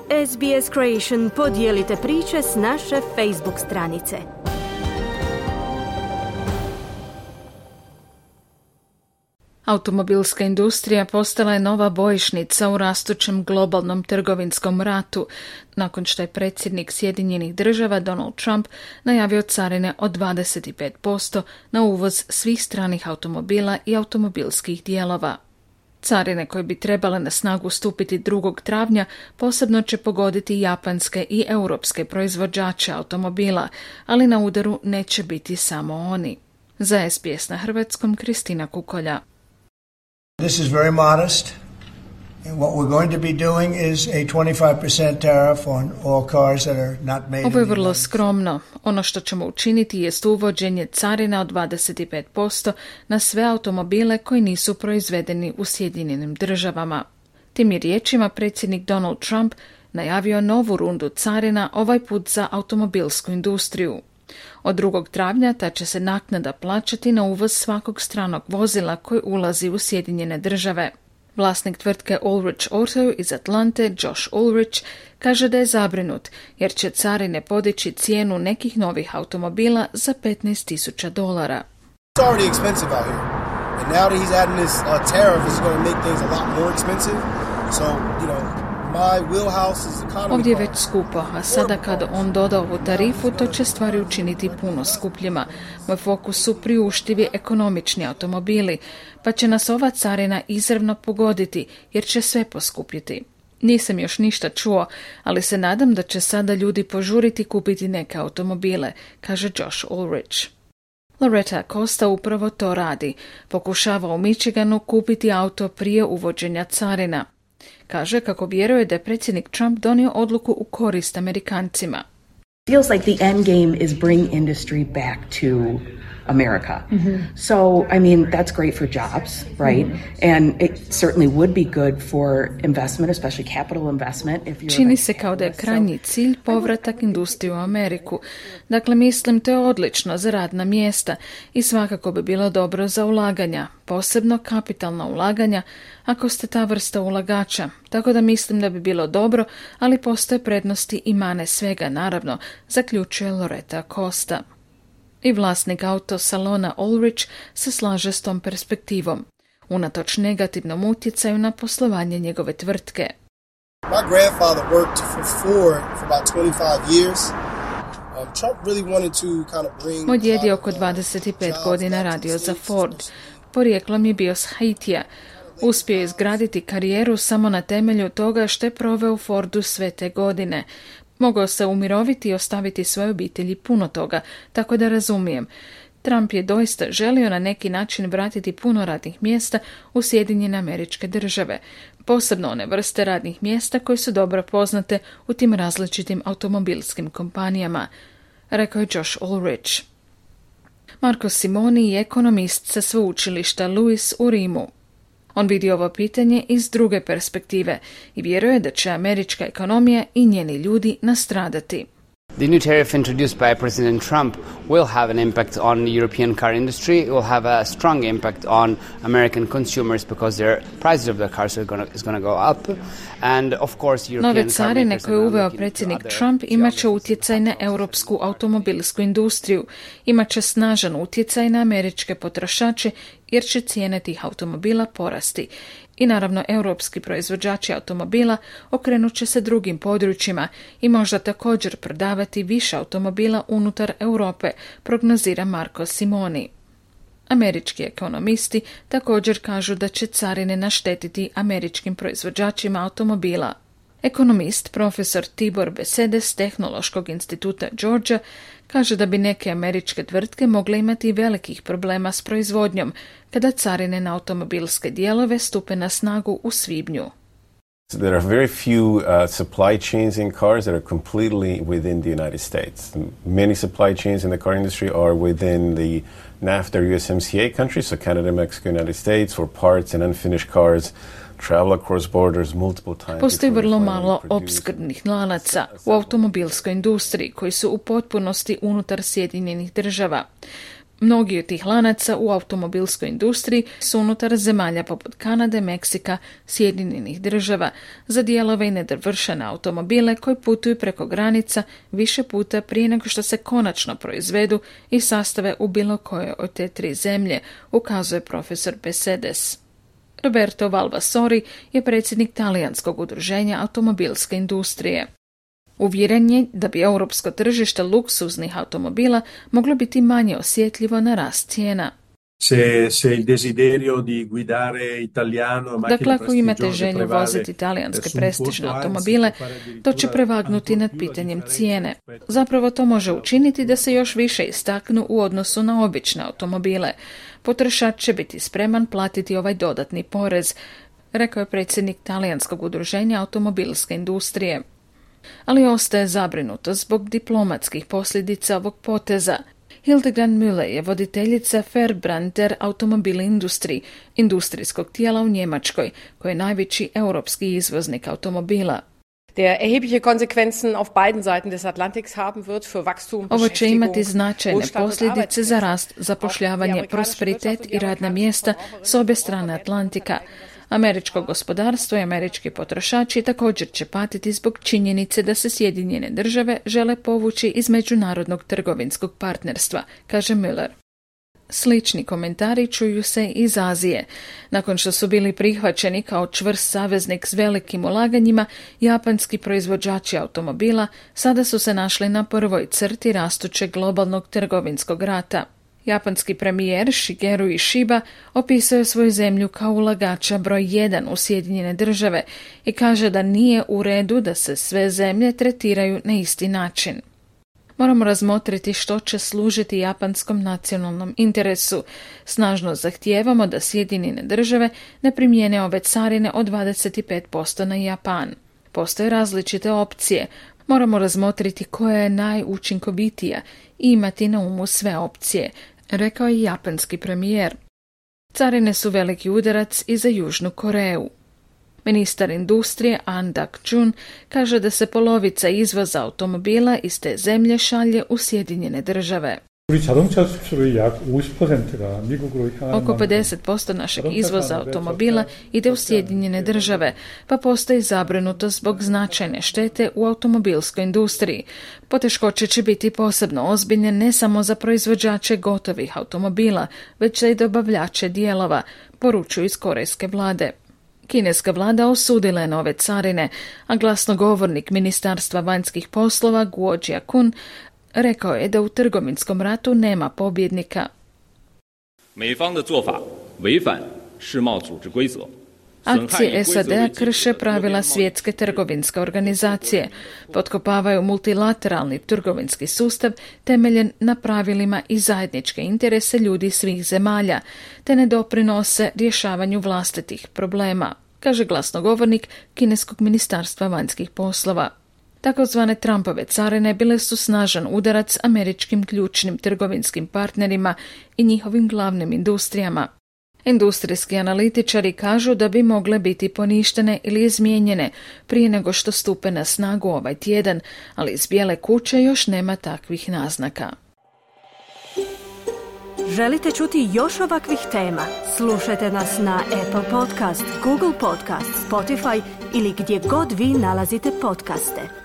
SBS Creation podijelite priče s naše Facebook stranice. Automobilska industrija postala je nova bojišnica u rastućem globalnom trgovinskom ratu, nakon što je predsjednik Sjedinjenih Država Donald Trump najavio carine od 25% na uvoz svih stranih automobila i automobilskih dijelova. Carine koje bi trebale na snagu stupiti 2. travnja posebno će pogoditi japanske i europske proizvođače automobila, ali na udaru neće biti samo oni. Za SBS na hrvatskom, Kristina Kukolja. This is very modest, and what we're going to be doing is a 25% tariff on all cars that are not made. Ovo je vrlo skromno. Ono što ćemo učiniti jest uvođenje carina od 25% na sve automobile koji nisu proizvedeni u Sjedinjenim Državama. Tim je riječima predsjednik Donald Trump najavio novu rundu carina, ovaj put za automobilsku industriju. Od 2. travnja ta će se naknada plaćati na uvoz svakog stranog vozila koji ulazi u Sjedinjene Države. Vlasnik tvrtke Ulrich Auto iz Atlante, Josh Ulrich, kaže da je zabrinut jer će carine podići cijenu nekih novih automobila za $15,000. It's already expensive out here. And now that he's adding this tariff, it's going to make things a lot more expensive. So, ovdje je već skupo, a sada kada on doda ovu tarifu, to će stvari učiniti puno skupljima. Moj fokus su priuštivi ekonomični automobili, pa će nas ova carina izravno pogoditi, jer će sve poskupiti. Nisam još ništa čuo, ali se nadam da će sada ljudi požuriti kupiti neke automobile, kaže Josh Ulrich. Loretta Acosta upravo to radi. Pokušava u Michiganu kupiti auto prije uvođenja carina. Kaže kako vjeruje da je predsjednik Trump donio odluku u korist Amerikancima. Feels like the end game is bring industry back to America. So, I mean, that's great for jobs, right? And it certainly would be good for investment, especially capital investment. Čini se kao da je krajnji cilj povratak industrije u Ameriku. Dakle, mislim, to je odlično za radna mjesta i svakako bi bilo dobro za ulaganja, posebno kapitalna ulaganja, ako ste ta vrsta ulagača. Tako da mislim da bi bilo dobro, ali postoje prednosti i mane svega, naravno, zaključuje Loretta Acosta. I vlasnik autosalona Ulrich se slaže s tom perspektivom, unatoč negativnom utjecaju na poslovanje njegove tvrtke. My grandfather worked for Ford for about 25 years. Trump really wanted to kind of bring. Moj djed je oko 25 godina radio za Ford. Porijeklom je bio s Haitija. Uspio je izgraditi karijeru samo na temelju toga što je proveo u Fordu sve te godine. Mogao se umiroviti i ostaviti svoje obitelji puno toga, tako da razumijem. Trump je doista želio na neki način vratiti puno radnih mjesta u Sjedinjene Američke Države, posebno one vrste radnih mjesta koje su dobro poznate u tim različitim automobilskim kompanijama, rekao je Josh Ulrich. Marco Simoni je ekonomist sa sveučilišta Lewis u Rimu. On vidi ovo pitanje iz druge perspektive i vjeruje da će američka ekonomija i njeni ljudi nastradati. The new tariff introduced by President Trump will have an impact on the European car industry. It will have a strong impact on American consumers because their prices of the cars is going to go up. And of course, European nove carine koje je uveo predsjednik Trump imat će utjecaj na europsku automobilsku industriju. Imat će snažan utjecaj na američke potrošače jer će cijene tih automobila porasti. I naravno, europski proizvođači automobila okrenut će se drugim područjima i možda također prodavati više automobila unutar Europe, prognozira Marco Simoni. Američki ekonomisti također kažu da će carine naštetiti američkim proizvođačima automobila. Ekonomist profesor Tibor Besede s Tehnološkog instituta Georgia kaže da bi neke američke tvrtke mogle imati velikih problema s proizvodnjom kada carine na automobilske dijelove stupe na snagu u svibnju. There are very few supply chains in cars that are completely within the United States. Many supply chains in the car industry are within the NAFTA or USMCA countries, so Canada, Mexico, United States, for parts and unfinished cars. Postoji vrlo malo opskrbnih lanaca u automobilskoj industriji koji su u potpunosti unutar Sjedinjenih Država. Mnogi od tih lanaca u automobilskoj industriji su unutar zemalja poput Kanade, Meksika, Sjedinjenih Država za dijelove i nedovršene automobile koji putuju preko granica više puta prije nego što se konačno proizvedu i sastave u bilo kojoj od te 3 zemlje, ukazuje profesor Besedes. Roberto Valvasori je predsjednik talijanskog udruženja automobilske industrije. Uvjeren je da bi europsko tržište luksuznih automobila moglo biti manje osjetljivo na rast cijena. Dakle, ako imate želju voziti talijanske prestižne automobile, to će prevagnuti nad pitanjem cijene. Zapravo to može učiniti da se još više istaknu u odnosu na obične automobile. Potrošač će biti spreman platiti ovaj dodatni porez, rekao je predsjednik talijanskog udruženja automobilske industrije. Ali ostaje zabrinuto zbog diplomatskih posljedica ovog poteza. Hildegard Müller je voditeljica Verbrandter Automobil Industrie, industrijskog tijela u Njemačkoj, koji je najveći europski izvoznik automobila. Ovo će imati značajne posljedice za rast, zapošljavanje, prosperitet i radna mjesta s obje strane Atlantika. Američko gospodarstvo i američki potrošači također će patiti zbog činjenice da se Sjedinjene Države žele povući iz međunarodnog trgovinskog partnerstva, kaže Müller. Slični komentari čuju se iz Azije. Nakon što su bili prihvaćeni kao čvrst saveznik s velikim ulaganjima, japanski proizvođači automobila sada su se našli na prvoj crti rastućeg globalnog trgovinskog rata. Japanski premijer Shigeru Ishiba opisao je svoju zemlju kao ulagača broj 1 u Sjedinjene Države i kaže da nije u redu da se sve zemlje tretiraju na isti način. Moramo razmotriti što će služiti japanskom nacionalnom interesu. Snažno zahtijevamo da Sjedinjene Države ne primijene ove carine od 25% na Japan. Postoje različite opcije. Moramo razmotriti koja je najučinkovitija i imati na umu sve opcije, rekao je japanski premijer. Carine su veliki udarac i za Južnu Koreju. Ministar industrije An Dak-jun kaže da se polovica izvoza automobila iz te zemlje šalje u Sjedinjene Države. Oko 50% našeg izvoza automobila ide u Sjedinjene Države, pa postoji zabrinutost zbog značajne štete u automobilskoj industriji. Poteškoće će biti posebno ozbiljne ne samo za proizvođače gotovih automobila, već i dobavljače dijelova, poručuju iz korejske vlade. Kineska vlada osudila je nove carine, a glasnogovornik Ministarstva vanjskih poslova Guo Jiakun rekao je da u trgovinskom ratu nema pobjednika. Akcije SAD-a krše pravila Svjetske trgovinske organizacije, potkopavaju multilateralni trgovinski sustav temeljen na pravilima i zajedničke interese ljudi svih zemalja, te ne doprinose rješavanju vlastitih problema, kaže glasnogovornik Kineskog ministarstva vanjskih poslova. Takozvane Trumpove carine bile su snažan udarac američkim ključnim trgovinskim partnerima i njihovim glavnim industrijama. Industrijski analitičari kažu da bi mogle biti poništene ili izmijenjene prije nego što stupe na snagu ovaj tjedan, ali iz Bijele kuće još nema takvih naznaka. Želite čuti još ovakvih tema? Slušajte nas na Apple Podcast, Google Podcast, Spotify ili gdje god vi nalazite podcaste.